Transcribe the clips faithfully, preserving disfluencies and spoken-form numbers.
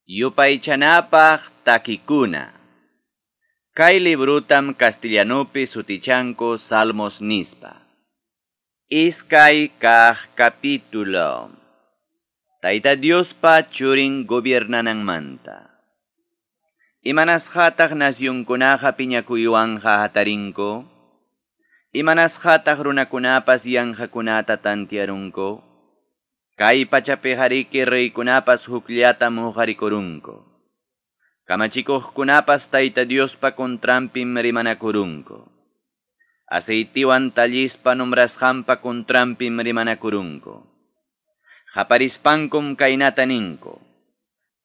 Yupaychanapaq takikuna. Kay librutam castellanupi sutichanku Salmos nispa. Iskay kaq capítulo. Tayta Diospa churin gobiernananmanta. Imanasqataq nasyunkunaqa piñakuywanqa hatarinku? Imanasqataq runakunapas yanqakunata tantiarunku? Kay pachapi hariki reykunapas hukllatam huqarikurunku. Kamachikuqkunapas Tayta Diospa contranpim rimanakurunku. Aceitiwan tallispa nombrasqanpa contranpim rimanakurunku. Qaparispankum kaynata ninku.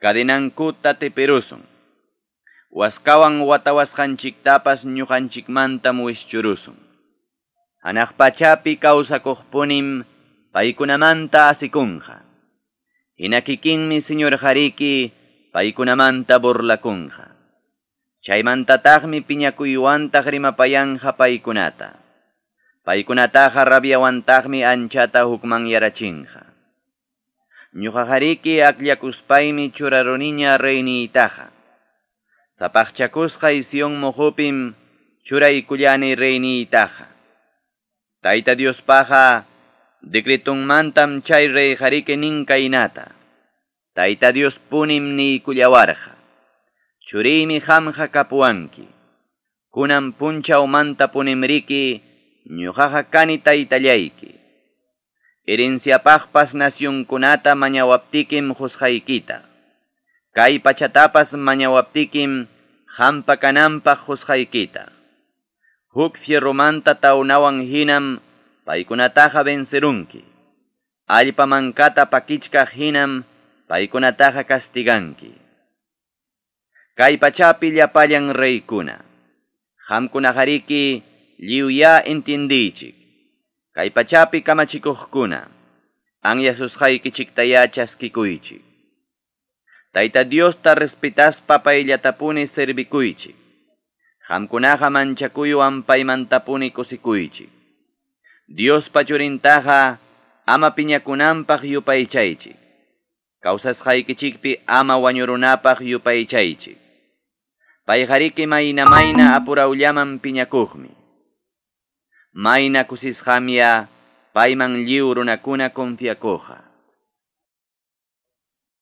Cadenankuta teperusun. Waskawan watawasqanchiktapas ñuqanchikmantam wischurusun. Hanaq pachapi kawsakuqpunim paykunamanta asikunqa. Hina kikinmi Señor hariki paykunamanta burlakunqa. Chaymantataqmi piñakuywantaq rimapayanqa paykunata. Paykunataqa rabiawantaqmi anchata hukmanyarachinqa. Ñuqa hariki akllakuspaymi churaruniña reyniytaqa. Sapaqchakusqay Sion muhupim churaykullani reyniytaqa. Tayta Diospaqa decretunmantam chay rey hariki nin kaynata. Tayta Dios punim niykullawarqa. Churiymi qamqa kapuwanki. Kunan punchawmanta punimriki ñuqaqa kani taytallayki. Herenciapaqpas nasyunkunata mañawaptikim qusqaykita. Kay pachatapas mañawaptikim qampa kananpaq qusqaykita. Huk fierromanta tawnawan hinam paykunataqa vencerunki. Allpa mankata pakichkaq hinam paykunataqa castiganki. Kay pachapi llapallan reykuna. Qamkunahariki lliwya entiendiychik. Kay pachapi kamachikuqkuna. Anyasusqaykichiktaya chaskikuychik. Tayta Diosta respetaspa payllatapuni servikuychik. Qamkunaqa manchakuywan paymantapuni kusikuychik. Diospa churintaqa ama piñakunanpaq yupaychaychik. Kawsasqaykichikpi ama wañurunapaq yupaychaychik. Payhariki mayna mayna apurawllaman piñakuqmi. Mayna kusisqamya payman lliw runakuna confiakuqa.